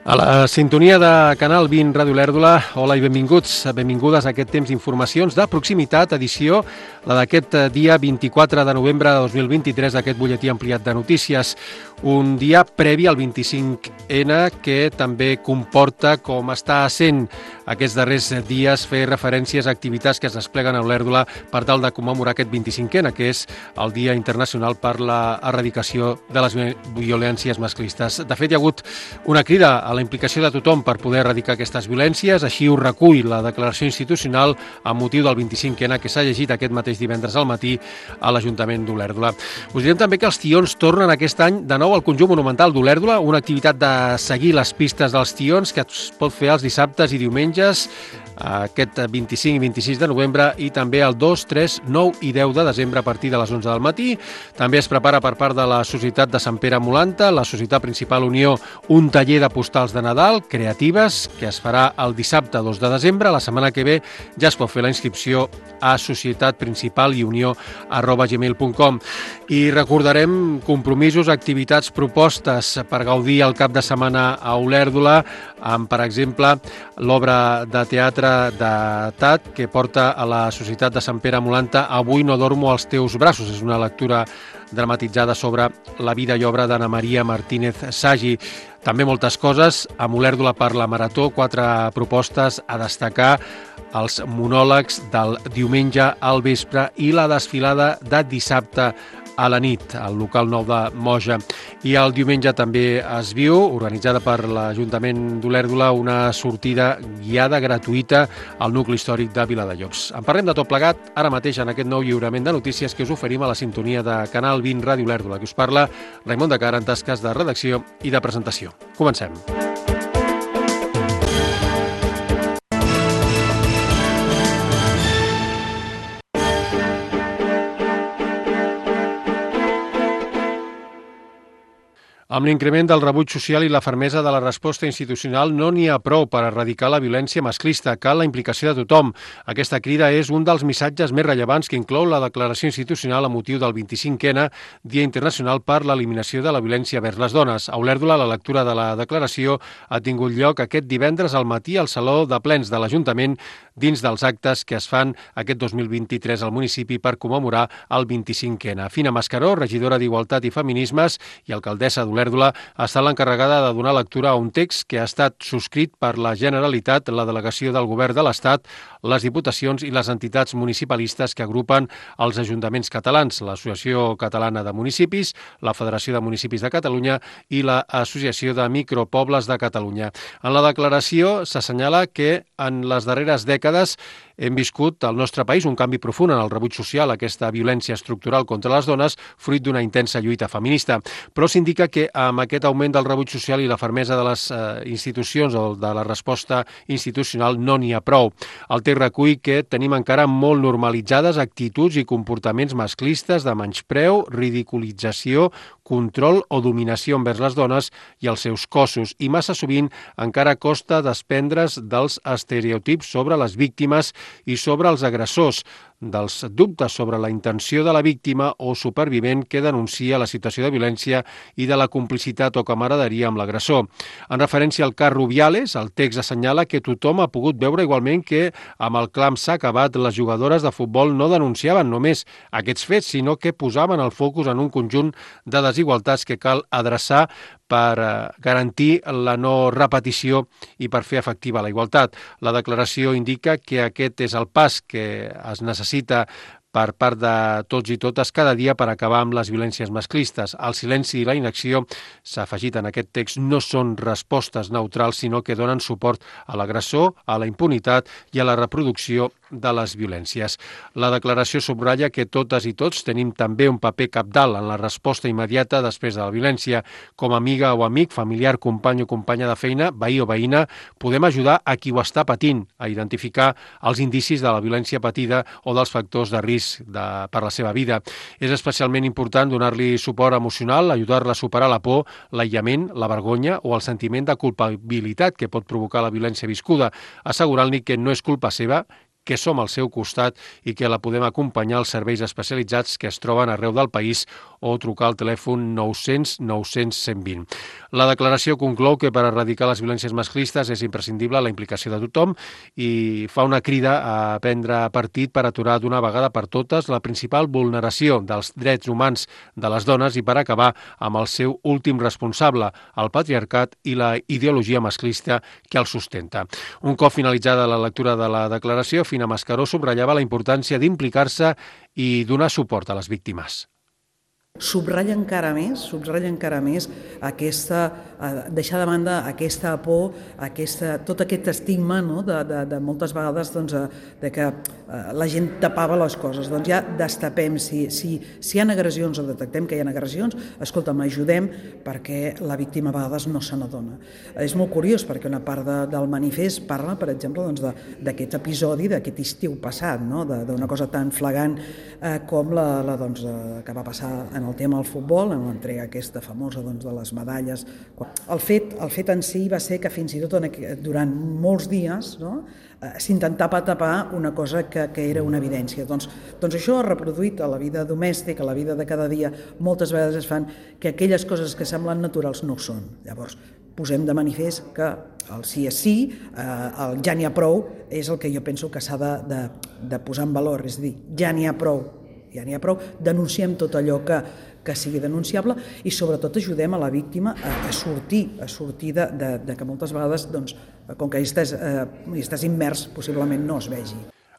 A la sintonia de Canal 20 Ràdio Olèrdola, hola i benvingudes a aquest temps d'informacions de proximitat, edició, la d'aquest dia 24 de novembre de 2023, aquest butlletí ampliat de notícies. Un dia previ al 25N que també comporta, com està sent aquests darrers dies, fer referències a activitats que es despleguen a Olèrdola per tal de commemorar aquest 25N, que és el Dia Internacional per l'Erradicació de les Violències Masclistes. De fet, hi ha hagut una crida a la implicació de tothom per poder erradicar aquestes violències, així ho recull la declaració institucional amb motiu del 25N que s'ha llegit aquest mateix divendres al matí a l'Ajuntament d'Olèrdola. Us direm també que els tions tornen aquest any de nou al conjunt monumental d'Olèrdola, una activitat de seguir les pistes dels tions que es pot fer els dissabtes i diumenges, aquest 25 i 26 de novembre i també el 2, 3, 9 i 10 de desembre a partir de les 11 del matí. També es prepara per part de la Societat de Sant Pere Molanta, la Societat Principal Unió, un taller de postals de Nadal creatives que es farà el dissabte 2 de desembre. La setmana que ve ja es pot fer la inscripció a societatprincipalunió@gmail.com. I recordarem compromisos, activitats, propostes per gaudir el cap de setmana a Olèrdola, amb, per exemple, l'obra de teatre de TAT que porta a la Societat de Sant Pere Molanta Avui no dormo als teus braços. És una lectura dramatitzada sobre la vida i obra d'Anna Maria Martínez Sagi. També moltes coses. A Olèrdola per la Marató, 4 propostes a destacar: els monòlegs del diumenge al vespre i la desfilada de dissabte a la nit, al local nou de Moja. I el diumenge també es viu, organitzada per l'Ajuntament d'Olèrdola, una sortida guiada gratuïta al nucli històric de Viladejobs. En parlem de tot plegat ara mateix en aquest nou lliurament de notícies que us oferim a la sintonia de Canal 20 Ràdio Olèrdola, que us parla Raimon de Cara en tasques de redacció i de presentació. Comencem. Amb l'increment del rebuig social i la fermesa de la resposta institucional no n'hi ha prou per erradicar la violència masclista. Cal la implicació de tothom. Aquesta crida és un dels missatges més rellevants que inclou la declaració institucional a motiu del 25N, Dia Internacional per l'Eliminació de la Violència vers les Dones. A Olèrdola, la lectura de la declaració ha tingut lloc aquest divendres al matí al Saló de Plens de l'Ajuntament, dins dels actes que es fan aquest 2023 al municipi per commemorar el 25N. Fina Mascaró, regidora d'Igualtat i Feminismes i alcaldessa d'Olèrdola, ha estat l'encarregada de donar lectura a un text que ha estat subscrit per la Generalitat, la delegació del Govern de l'Estat, les diputacions i les entitats municipalistes que agrupen els ajuntaments catalans, l'Associació Catalana de Municipis, la Federació de Municipis de Catalunya i l'Associació de Micropobles de Catalunya. En la declaració s'assenyala que en les darreres dècades hem viscut al nostre país un canvi profund en el rebuig social a aquesta violència estructural contra les dones, fruit d'una intensa lluita feminista. Però s'indica que amb aquest augment del rebuig social i la fermesa de les institucions o de la resposta institucional no n'hi ha prou. El text recull que tenim encara molt normalitzades actituds i comportaments masclistes de menyspreu, ridiculització, control o dominació envers les dones i els seus cossos, i massa sovint encara costa desprendre's dels estereotips sobre les víctimes i sobre els agressors, dels dubtes sobre la intenció de la víctima o supervivent que denuncia la situació de violència i de la complicitat o camaraderia amb l'agressor. En referència al cas Rubiales, el text assenyala que tothom ha pogut veure igualment que amb el clam s'ha acabat, les jugadores de futbol no denunciaven només aquests fets, sinó que posaven el focus en un conjunt de desigualtats que cal adreçar per garantir la no repetició i per fer efectiva la igualtat. La declaració indica que aquest és el pas que es necessita per part de tots i totes cada dia per acabar amb les violències masclistes. El silenci i la inacció, s'ha afegit en aquest text, no són respostes neutrals, sinó que donen suport a l'agressor, a la impunitat i a la reproducció de les violències. La declaració subratlla que totes i tots tenim també un paper cabdal en la resposta immediata després de la violència. Com a amiga o amic, familiar, company o companya de feina, veí o veïna, podem ajudar a qui ho està patint a identificar els indicis de la violència patida o dels factors de risc per la seva vida. És especialment important donar-li suport emocional, ajudar-la a superar la por, l'aïllament, la vergonya o el sentiment de culpabilitat que pot provocar la violència viscuda, assegurant-li que no és culpa seva, que som al seu costat i que la podem acompanyar als serveis especialitzats que es troben arreu del país o trucar al telèfon 900 900 120. La declaració conclou que per erradicar les violències masclistes és imprescindible la implicació de tothom i fa una crida a prendre partit per aturar d'una vegada per totes la principal vulneració dels drets humans de les dones i per acabar amb el seu últim responsable, el patriarcat i la ideologia masclista que el sustenta. Un cop finalitzada la lectura de la declaració, Fina Mascaró subratllava la importància d'implicar-se i donar suport a les víctimes. Subratlla encara més aquesta, deixar de banda aquesta por, tot aquest estigma, no? de moltes vegades doncs, de que la gent tapava les coses. Doncs ja destapem, si hi ha agressions o detectem que hi ha agressions, escolta'm, ajudem perquè la víctima a vegades no se n'adona. És molt curiós perquè una part del manifest parla, per exemple, doncs, d'aquest episodi, d'aquest estiu passat, no? D'una cosa tan flagrant com que va passar en el tema del futbol, en l'entrega aquesta famosa doncs, de les medalles. El fet en si va ser que fins i tot durant molts dies, no, s'intentava tapar una cosa que era una evidència. Doncs això ha reproduït a la vida domèstica, a la vida de cada dia. Moltes vegades es fan que aquelles coses que semblen naturals no ho són. Llavors, posem de manifest que el sí és sí, el ja n'hi ha prou, és el que jo penso que s'ha de posar en valor, és a dir, ja n'hi ha prou, denunciem tot allò que sigui denunciable i sobretot ajudem a la víctima a sortir de que moltes vegades, doncs, com que hi estàs immers, possiblement no es vegi.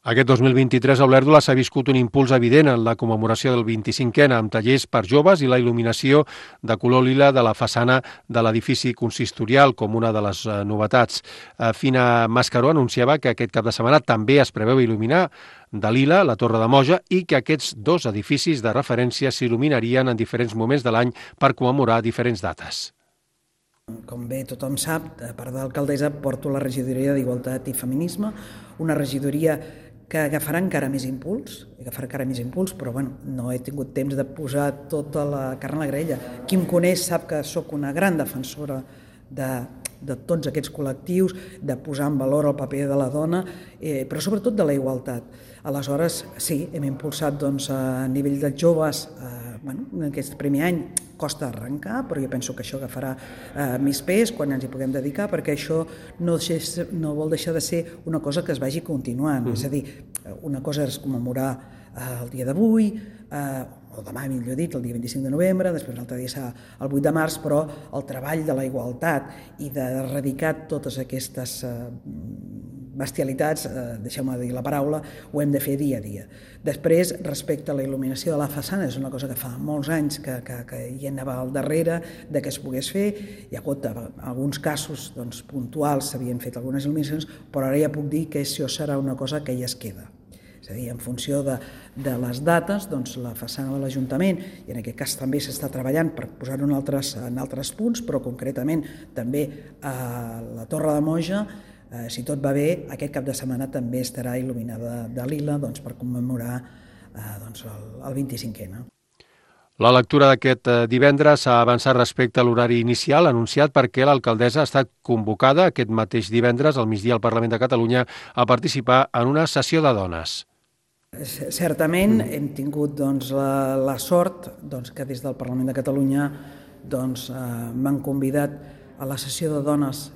Aquest 2023 a Olèrdola s'ha viscut un impuls evident en la commemoració del 25è amb tallers per joves i la il·luminació de color lila de la façana de l'edifici consistorial com una de les novetats. Fina Mascaró anunciava que aquest cap de setmana també es preveu il·luminar de lila la Torre de Moja i que aquests dos edificis de referència s'il·luminarien en diferents moments de l'any per commemorar diferents dates. Com bé tothom sap, a part d'alcaldessa porto la regidoria d'Igualtat i Feminisme, una regidoria que agafarà encara més impuls, però bueno, no he tingut temps de posar tota la carn a la graella. Qui em coneix sap que sóc una gran defensora de tots aquests col·lectius, de posar en valor el paper de la dona, però sobretot de la igualtat. Aleshores, sí, hem impulsat doncs, a nivell de joves, en aquest primer any costa arrencar, però jo penso que això agafarà més pes quan ens hi puguem dedicar, perquè això no vol deixar de ser una cosa que es vagi continuant. És a dir, una cosa és commemorar el dia d'avui, o demà, millor dit, el dia 25 de novembre, després l'altre dia serà el 8 de març, però el treball de la igualtat i d'erradicar totes aquestes bestialitats, deixeu-me dir la paraula, ho hem de fer dia a dia. Després, respecte a la il·luminació de la façana, és una cosa que fa molts anys que hi anava al darrere de que es pogués fer. Hi ha hagut alguns casos puntuals, s'havien fet algunes il·luminacions, però ara ja puc dir que això serà una cosa que ja es queda. És a dir, en funció de les dates, doncs la façana de l'Ajuntament, i en aquest cas també s'està treballant per posar-ho en altres punts, però concretament també a la Torre de Moja, si tot va bé, aquest cap de setmana també estarà il·luminada de lila per commemorar el 25è. La lectura d'aquest divendres s'ha avançat respecte a l'horari inicial anunciat perquè l'alcaldessa ha estat convocada aquest mateix divendres al migdia al Parlament de Catalunya a participar en una sessió de dones. Certament hem tingut la sort que des del Parlament de Catalunya m'han convidat a la sessió de dones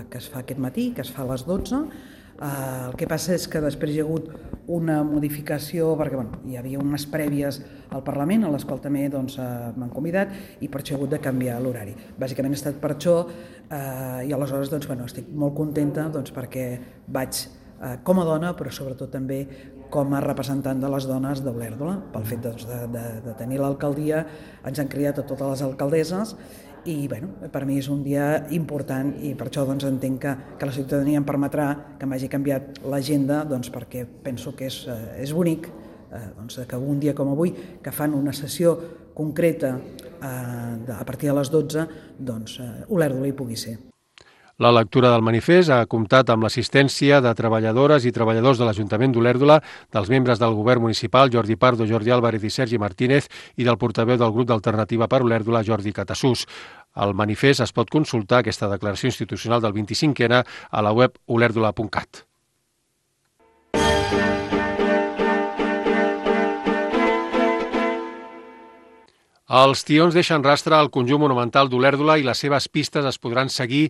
que es fa aquest matí, que es fa a les 12. El que passa és que després hi ha hagut una modificació, perquè hi havia unes prèvies al Parlament, a les quals també m'han convidat, i per això he hagut de canviar l'horari. Bàsicament ha estat per això, i aleshores estic molt contenta perquè vaig com a dona, però sobretot també com a representant de les dones d'Olèrdola. Pel fet de tenir l'alcaldia, ens han cridat a totes les alcaldesses, i per mi és un dia important i per això entenc que la ciutadania em permetrà que m'hagi canviat l'agenda perquè penso que és bonic que un dia com avui, que fan una sessió concreta a partir de les 12, Olèrdola hi pugui ser. La lectura del manifest ha comptat amb l'assistència de treballadores i treballadors de l'Ajuntament d'Olèrdola, dels membres del govern municipal, Jordi Pardo, Jordi Álvarez i Sergi Martínez, i del portaveu del grup d'Alternativa per Olèrdola, Jordi Catassús. Al manifest es pot consultar aquesta declaració institucional del 25è a la web olèrdola.cat. Els tions deixen rastre al conjunt monumental d'Olèrdola i les seves pistes es podran seguir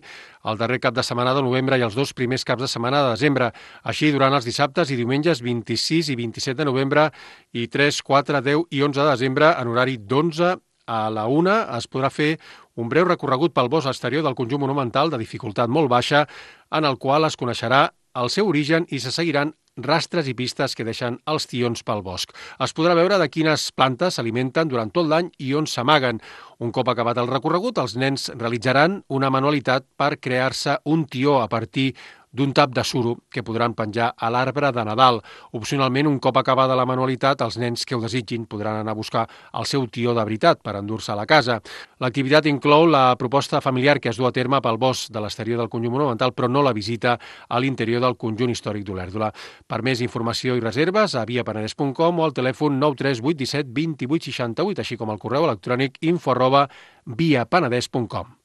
el darrer cap de setmana de novembre i els 2 primers caps de setmana de desembre. Així, durant els dissabtes i diumenges 26 i 27 de novembre i 3, 4, 10 i 11 de desembre, en horari d'11 a la 1, es podrà fer un breu recorregut pel bosc exterior del conjunt monumental de dificultat molt baixa, en el qual es coneixerà el seu origen i se seguiran rastres i pistes que deixen els tions pel bosc. Es podrà veure de quines plantes s'alimenten durant tot l'any i on s'amaguen. Un cop acabat el recorregut, els nens realitzaran una manualitat per crear-se un tió a partir d'un tap de suro que podran penjar a l'arbre de Nadal. Opcionalment, un cop acabada la manualitat, els nens que ho desitgin podran anar a buscar el seu tió de veritat per endur-se a la casa. L'activitat inclou la proposta familiar que es du a terme pel bosc de l'exterior del conjunt monumental, però no la visita a l'interior del conjunt històric d'Olèrdola. Per més informació i reserves, a viapenedès.com o al telèfon 93817 2868, així com al correu electrònic info@viapenedès.com.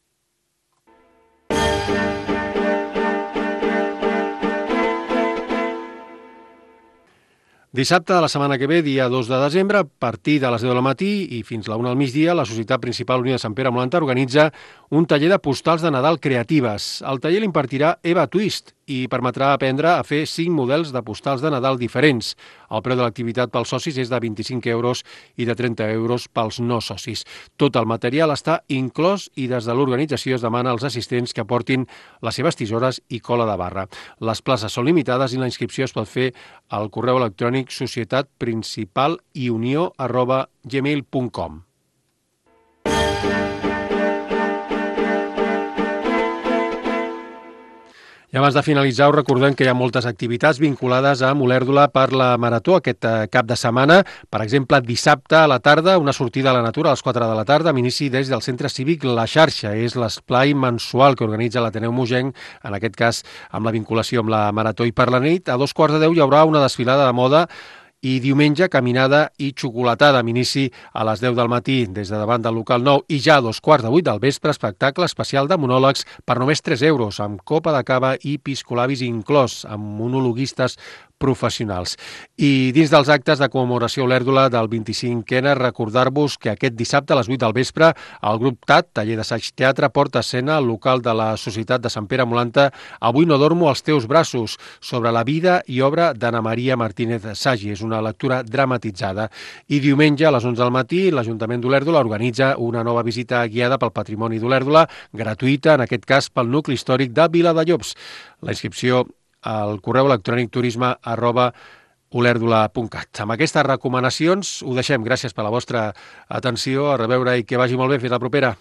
Dissabte de la setmana que ve, dia 2 de desembre, a partir de les 10 del matí i fins la 1 al migdia, la Societat Principal Unida de Sant Pere Molanta organitza un taller de postals de Nadal creatives. El taller l'impartirà Eva Twist i permetrà aprendre a fer 5 models de postals de Nadal diferents. El preu de l'activitat pels socis és de 25 euros i de 30 euros pels no socis. Tot el material està inclòs i des de l'organització es demana als assistents que aportin les seves tisores i cola de barra. Les places són limitades i la inscripció es pot fer al correu electrònic societatprincipalunió@gmail.com. I abans de finalitzar, us recordem que hi ha moltes activitats vinculades a Olèrdola per la Marató aquest cap de setmana. Per exemple, dissabte a la tarda, una sortida a la natura a les 4 de la tarda, amb inici des del Centre Cívic La Xarxa. És l'esplai mensual que organitza l'Ateneu Mogenc, en aquest cas amb la vinculació amb la Marató. I per la nit, a 2:15 hi haurà una desfilada de moda i diumenge caminada i xocolatada amb inici a les 10 del matí des de davant del local 9 i ja a 2:15 del vespre espectacle especial de monòlegs per només 3 euros amb copa de cava i piscolabis inclòs amb monologuistes professionals. I dins dels actes de commemoració a Olèrdola del 25è, recordar-vos que aquest dissabte a les 8 del vespre el grup TAT, taller d'assaig teatre, porta a escena al local de la Societat de Sant Pere Molanta Avui no dormo als teus braços, sobre la vida i obra d'Anna Maria Martínez Sagi. És una lectura dramatitzada. I diumenge a les 11 del matí l'Ajuntament d'Olèrdola organitza una nova visita guiada pel patrimoni d'Olèrdola, gratuïta, en aquest cas pel nucli històric de Viladellobs. La inscripció al correu electrònic turisme@olèrdola.cat. Amb aquestes recomanacions ho deixem. Gràcies per la vostra atenció. A reveure i que vagi molt bé. Fins la propera.